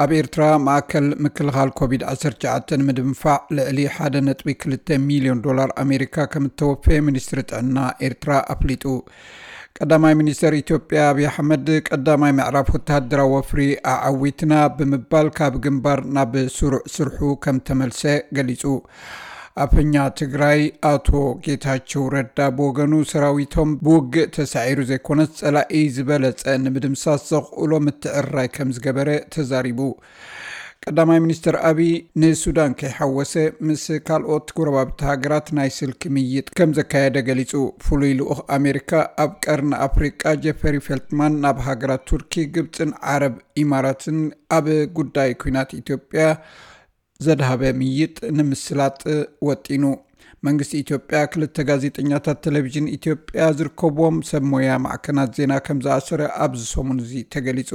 ኣብ ኤርትራ ማእከል ምክልኻል ኮቪድ ዓሰርተ ትሽዓተ ንምድንፋዕ ልዕሊ ሓደ ነጥቢ ክልተ ሚልዮን ዶላር ኣሜሪካ ከም እተወፈየ ሚኒስትሪ ጥዕና ኤርትራ ኣፍሊጡ። ቀዳማይ ሚኒስተር ኢትዮጵያ ኣብይ ኣሕመድ ቀዳማይ ምዕራፍ ወተሃደራዊ ወፍሪ ኣዓዊትና ብምባል ካብ ግንባር ናብ ስሩዕ ስርሑ ከም ተመልሰ ገሊጹ። ኣፈኛ ትግራይ ኣቶ ጌታቸው ረዳ ብወገኑ ሰራዊቶም ብውግእ ተሳዒሩ ዘይኮነስ ጸላኢ ዝበለጸ ንምድምሳስ ዘኽእሎ ምትዕርራይ ከም ዝገበረ ተዛሪቡ። ቀዳማይ ሚኒስትር ኣብይ ንሱዳን ከይሓወሰ ምስ ካልኦት ጎረባብቲ ሃገራት ናይ ስልኪ ምይጥ ከም ዘካየደ ገሊጹ። ፍሉይ ልኡኽ ኣሜሪካ ኣብ ቀርኒ ኣፍሪቃ ጀፈሪ ፌልትማን ናብ ሃገራት ቱርኪ፣ ግብጽን ዓረብ ኢማራትን ኣብ ጉዳይ ኲናት ኢትዮጵያ ዘድሃበ ምይጥ ንምስላጥ ወጢኑ። መንግስቲ ኢትዮጵያ ክልተ ጋዜጠኛታት ቴሌቪዥን ኢትዮጵያ ዝርከብዎም ሰብ ሞያ ማዕከናት ዜና ከም ዝኣሰረ ኣብዚ ሰሙን እዚ ተገሊጹ።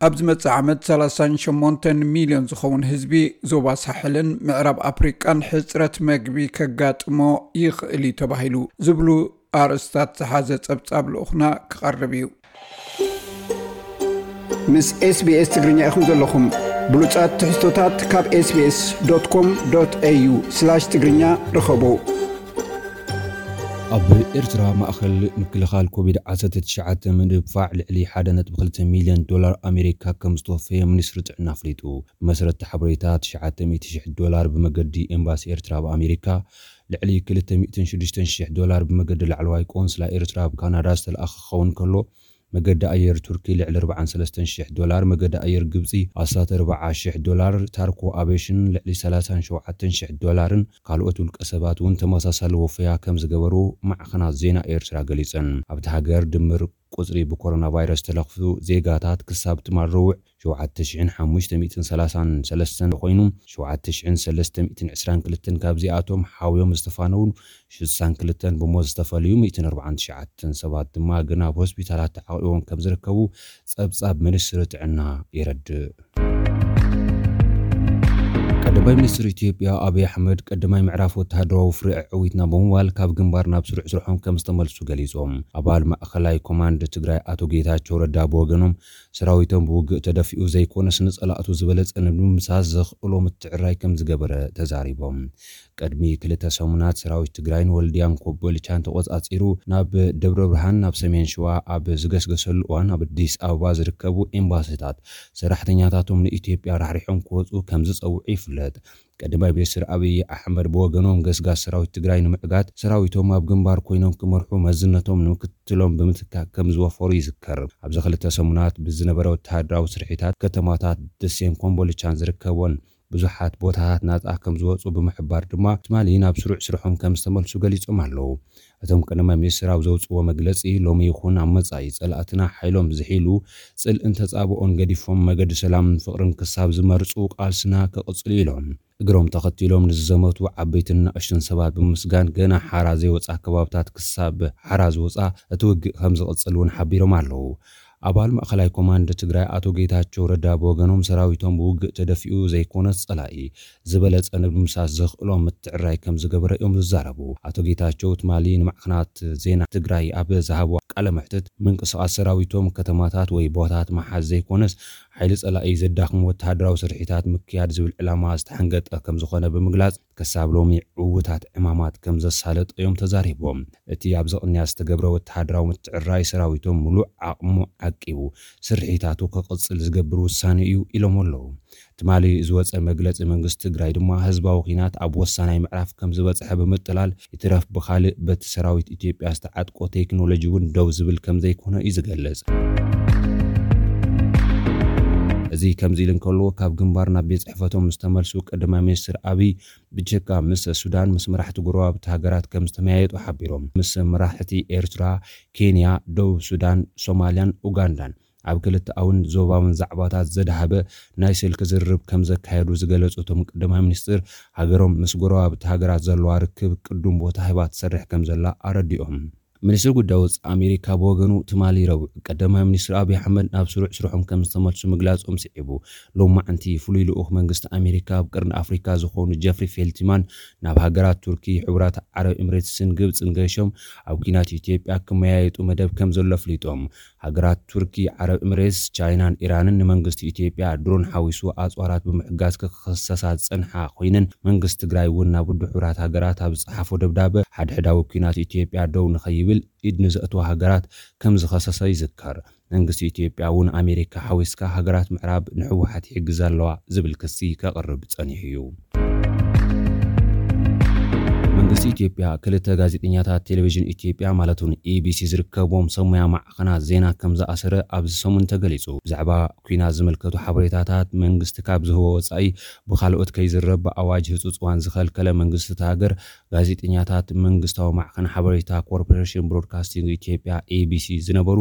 ኣብ ዝመጽእ ዓመት ሰላሳን ሸሞንተን ሚልዮን ዝኸውን ህዝቢ ዞባ ሳሕልን ምዕራብ ኣፍሪቃን ሕጽረት መግቢ ከጋጥሞ ይኽእል እዩ ተባሂሉ ዝብሉ ኣርእስታት ዝሓዘ ጸብጻብ ልኡኽና ክቐርብ እዩ። ምስ ኤስቢኤስ ትግርኛ ኢኹም ዘለኹም። ብሉጻት ትሕዝቶታት ካብ ኤስቢኤስ ዶት ኮም ዶት ኤዩ ስላሽ ትግርኛ ርኸቡ። ኣብ ኤርትራ ማእኸል ምክልኻል ኮቪድ ዓሰርተ ትሽዓተ ምድንፋዕ ልዕሊ ሓደ ነጥቢ ክልተ ሚልዮን ዶላር ኣሜሪካ ከም ዝተወፈየ ሚኒስትሪ ጥዕና ኣፍሊጡ። ብመሰረት ሓበሬታ፣ ትሽዓተ ሚእቲ ሽሕ ዶላር ብመገዲ ኤምባሲ ኤርትራ ኣብ ኣሜሪካ፣ ልዕሊ ክልተ ሚእትን ሽዱሽተን ሽሕ ዶላር ብመገዲ ላዕለዋይ ቆንስላ ኤርትራ ኣብ ካናዳ ዝተለኣኸ ክኸውን ከሎ፣ መገዲ ኣየር ቱርኪ ልዕሊ ኣርባዓን ሰለስተን ሽሕ ዶላር፣ መገዲ ኣየር ግብጺ ኣስታት ኣርባዓ ሽሕ ዶላር፣ ታርኮ ኣቬሽን ልዕሊ ሰላሳን ሸውዓተን ሽሕ ዶላርን ካልኦት ውልቀ ሰባት እውን ተመሳሳሊ ወፈያ ከም ዝገበሩ ማዕኸናት ዜና ኤርትራ ገሊጸን። ኣብቲ ሃገር ድምር ቁጽሪ ብኮሮና ቫይረስ ተለኽፉ ዜጋታት ክሳብ ትማል ረቡዕ ሸውዓተ ሽሕን ሓሙሽተ ሚእትን ሰላሳን ሰለስተን ኮይኑ፣ ሸውዓተ ሽሕን ሰለስተ ሚእትን ዕስራን ክልተን ካብዚኣቶም ሓውዮም ዝተፋነውን ሽሳን ክልተን ብሞት ዝተፈልዩ ሚእትን ኣርባዓን ትሽዓተን ሰባት ድማ ግን ኣብ ሆስፒታላት ተዓቂቦም ከም ዝርከቡ ጸብጻብ ሚኒስትሪ ጥዕና የረድእ። ቀዳማይ ሚኒስትር ኢትዮጵያ ኣብይ ኣሕመድ ቀዳማይ ምዕራፍ ወተሃደራዊ ወፍሪ ኣዕዊትና ብምባል ካብ ግንባር ናብ ስሩዕ ስርሖም ከም ዝተመልሱ ገሊጾም። ኣባል ማእኸላይ ኮማንድ ትግራይ ኣቶ ጌታቸው ረዳ ብወገኖም ሰራዊቶም ብውግእ ተደፊኡ ዘይኮነስ ንጸላእቱ ዝበለጸ ንምድምሳስ ዘኽእሎ ምትዕራይ ከም ዝገበረ ተዛሪቦም። ቅድሚ ክልተ ሰሙናት ሰራዊት ትግራይ ንወልድያን ኮምቦልቻን ተቖጻጺሩ ናብ ደብረ ብርሃን ናብ ሰሜን ሸዋ ኣብ ዝገስገሰሉ እዋን ኣብ ኣዲስ ኣበባ ዝርከቡ ኤምባሲታት ሰራሕተኛታቶም ንኢትዮጵያ ራሕሪሖም ክወጹ ከም ዝጸውዑ ይፍለጥ። ቀዳማይ ሚኒስትር ኣብይ ኣሕመድ ብወገኖም ገስጋስ ሰራዊት ትግራይ ንምዕጋት ሰራዊቶም ኣብ ግንባር ኮይኖም ክመርሑ መዝነቶም ንምክትሎም ብምትካእ ከም ዝወፈሩ ይዝከር። ኣብዚ ክልተ ሰሙናት ብዝነበረ ወተሃደራዊ ስርሒታት ከተማታት ደሴን ኮምቦልቻን ዝርከቦን ብዙሓት ቦታታት ናጻ ከም ዝወጹ ብምሕባር ድማ ትማሊ ናብ ስሩዕ ስርሖም ከም ዝተመልሱ ገሊጾም ኣለዉ። እቶም ቀዳማይ ሚኒስትር ኣብ ዘውጽዎ መግለጺ ሎሚ ይኹን ኣብ መጻኢ ጸላእትና ሓይሎም ዝሒሉ ጽልእን ተጻብኦን ገዲፎም መገዲ ሰላምን ፍቕርን ክሳብ ዝመርጹ ቃልስና ክቕጽል ኢሎም። እግሮም ተኸቲሎም ንዝዘመቱ ዓበይትን ንኣሽቱን ሰባት ብምስጋን ገና ሓራ ዘይወጻ ከባብታት ክሳብ ሓራ ዝወጻ እቲ ውግእ ከም ዝቕጽል እውን ሓቢሮም ኣለዉ። ኣባል ማእኸላይ ኮማንድ ትግራይ ኣቶ ጌታቸው ረዳ ብወገኖም ሰራዊቶም ብውግእ ተደፊኡ ዘይኮነስ ጸላኢ ዝበለጸ ንምድምሳስ ዘኽእሎ ምትዕራይ ከም ዝገበረ እዮም ዝዛረቡ። ኣቶ ጌታቸው ትማሊ ንማዕኸናት ዜና ትግራይ ኣብ ዝሃብዎ ቃለ መሕትት ምንቅስቓስ ሰራዊቶም ከተማታት ወይ ቦታት መሓዝ ዘይኮነስ ሓይሊ ጸላኢ ዘዳኽሙ ወተሃደራዊ ስርሒታት ምክያድ ዝብል ዕላማ ዝተሓንገጠ ከም ዝኾነ ብምግላጽ፣ ክሳብ ሎሚ ዕዉታት ዕማማት ከም ዘሳለጠ እዮም ተዛሪቦም። እቲ ኣብዚ ቅንያት ዝተገብረ ወተሃደራዊ ምትዕራይ ሰራዊቶም ምሉእ ዓቕሙ ዓቂቡ ስርሒታቱ ክቕጽል ዝገብር ውሳነ እዩ ኢሎም ኣለዉ። ትማሊ ዝወጸ መግለጺ መንግስቲ ትግራይ ድማ ህዝባዊ ኲናት ኣብ ወሳናይ ምዕራፍ ከም ዝበጽሐ ብምጥላል፣ ይትረፍ ብኻልእ በቲ ሰራዊት ኢትዮጵያ ዝተዓጥቆ ቴክኖሎጂ እውን ደው ዝብል ከም ዘይኮነ እዩ ዝገልጽ። እዚ ከምዚ ኢሉ እንከሎ፣ ካብ ግንባር ናብ ቤት ጽሕፈቶም ዝተመልሱ ቀዳማይ ሚኒስትር ኣብይ ብጀካ ምስ ሱዳን ምስ መራሕቲ ጎረባብቲ ሃገራት ከም ዝተመያየጡ ሓቢሮም። ምስ መራሕቲ ኤርትራ፣ ኬንያ፣ ደቡብ ሱዳን፣ ሶማልያን ኡጋንዳን ኣብ ክልተኣውን ዞባውን ዛዕባታት ዘድሃበ ናይ ስልኪ ዝርርብ ከም ዘካየዱ ዝገለጹ እቶም ቀዳማይ ሚኒስትር፣ ሃገሮም ምስ ጎረባብቲ ሃገራት ዘለዋ ርክብ ቅዱም ቦታ ሂባ ትሰርሕ ከም ዘላ ኣረዲኦም። ሚኒስትሪ ጉዳይ ወጻኢ ኣሜሪካ ብወገኑ ትማሊ ረቡዕ ቀዳማይ ሚኒስትር ኣብይ ኣሕመድ ናብ ስሩዕ ስርሖም ከም ዝተመልሱ ምግላጾም ስዒቡ፣ ሎማዕንቲ ፍሉይ ልኡኽ መንግስቲ ኣሜሪካ ኣብ ቀርኒ ኣፍሪካ ዝኾኑ ጀፍሪ ፌልትማን ናብ ሃገራት ቱርኪ፣ ሕቡራት ዓረብ ኤምሬትስን ግብጽን ገይሾም ኣብ ኲናት ኢትዮጵያ ክመያየጡ መደብ ከም ዘሎ ኣፍሊጦም። ሃገራት ቱርኪ፣ ዓረብ ኤምሬትስ፣ ቻይናን ኢራንን ንመንግስቲ ኢትዮጵያ ድሮን ሓዊሱ ኣጽዋራት ብምሕጋዝ ክኸሰሳ ዝጸንሓ ኮይነን፣ መንግስቲ ትግራይ እውን ናብ ውድብ ሕቡራት ሃገራት ኣብ ዝጸሓፎ ደብዳበ ሓድሕዳዊ ኲናት ኢትዮጵያ ደው ንኸይብል ኢድ ንዘእትዋ ሃገራት ከም ዝኸሰሰ ይዝከር። መንግስቲ ኢትዮጵያ እውን ኣሜሪካ ሓዊስካ ሃገራት ምዕራብ ንህወሓት ይሕግዛ ኣለዋ ዝብል ክሲ ከቕርብ ጸኒሑ እዩ። መንግስቲ ኢትዮጵያ ክልተ ጋዜጠኛታት ቴሌቪዥን ኢትዮጵያ ማለት እውን ኢቢሲ ዝርከብዎም ሰብ ሞያ ማዕኸናት ዜና ከም ዝኣሰረ ኣብዚ ሰሙን ተገሊጹ። ብዛዕባ ኲናት ዝምልከቱ ሓበሬታታት መንግስቲ ካብ ዝህቦ ወጻኢ ብኻልኦት ከይዝረብ ብኣዋጅ ህጹጽ እዋን ዝኸልከለ መንግስቲ እታ ሃገር፣ ጋዜጠኛታት መንግስታዊ ማዕኸን ሓበሬታ ኮርፖሬሽን ብሮድካስቲንግ ኢትዮጵያ፣ ኤቢሲ፣ ዝነበሩ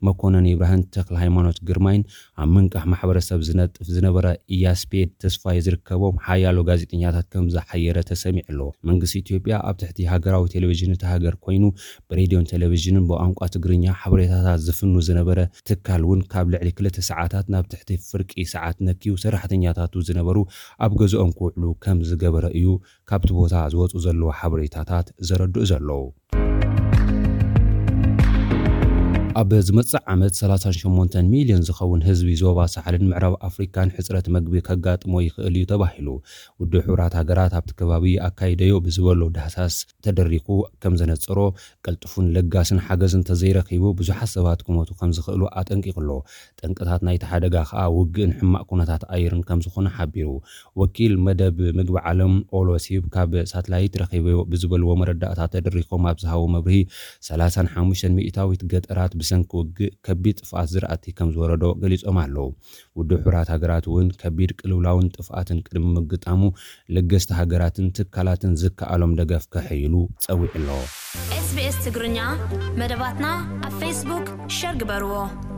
መኮነን ይብራህን ተክለ ሃይማኖት ግርማይን ኣብ ምንቃሕ ማሕበረሰብ ዝነጥፍ ዝነበረ ኢያስፔድ ተስፋይ ዝርከቦም ሓያሎ ጋዜጠኛታት ከም ዝሓየረ ተሰሚዑ ኣሎ። መንግስቲ ኢትዮጵያ ኣብ ትሕቲ ሃገራዊ ቴሌቪዥን እታ ሃገር ኮይኑ ብሬድዮን ቴሌቪዥንን ብቋንቋ ትግርኛ ሓበሬታታት ዝፍኑ ዝነበረ ትካል እውን ካብ ልዕሊ ክልተ ሰዓታት ናብ ትሕቲ ፍርቂ ሰዓት ነክዩ ሰራሕተኛታቱ ዝነበሩ ኣብ ገዝኦም ክውዕሉ ከም ዝገበረ እዩ ካብቲ ቦታ ዝወፁ ዘለዉ ሓበሬታታት ዘረድኡ ዘለዉ። ኣብ ዝመጽእ ዓመት ሰላሳን ሸሞንተን ሚልዮን ዝኸውን ህዝቢ ዞባ ሳሕልን ምዕራብ ኣፍሪካን ሕጽረት መግቢ ከጋጥሞ ይኽእል እዩ ተባሂሉ። ውድብ ሕቡራት ሃገራት ኣብቲ ከባቢ ኣካይደዮ ብዝበሎ ዳህሳስ ተደሪኹ ከም ዘነጸሮ፣ ቀልጥፉን ለጋስን ሓገዝ እንተዘይረኺቡ ብዙሓት ሰባት ክሞቱ ከም ዝኽእሉ ኣጠንቂቑ ኣሎ። ጠንቅታት ናይቲ ሓደጋ ከኣ ውግእን ሕማቕ ኩነታት ኣየርን ከም ዝኾነ ሓቢሩ። ወኪል መደብ ምግቢ ዓለም ኦሎሲብ ካብ ሳትላይት ረኺበዮ ብዝበልዎ መረዳእታ ተደሪኾም ኣብ ዝሃቦ መብርሂ፣ ሰላሳን ሓሙሽተን ሚእታዊት ገጠራት ብሰንኪ ውግእ ከቢድ ጥፍኣት ዝራእቲ ከም ዝወረዶ ገሊጾም ኣለዉ። ውድብ ሕቡራት ሃገራት እውን ከቢድ ቅልውላውን ጥፍኣትን ቅድሚ ምግጣሙ ለገስቲ ሃገራትን ትካላትን ዝከኣሎም ደገፍ ከሐይሉ ጸዊዑ ኣሎ። SBS ትግርኛ መደባትና ኣብ ፌስቡክ ሸር ግበርዎ።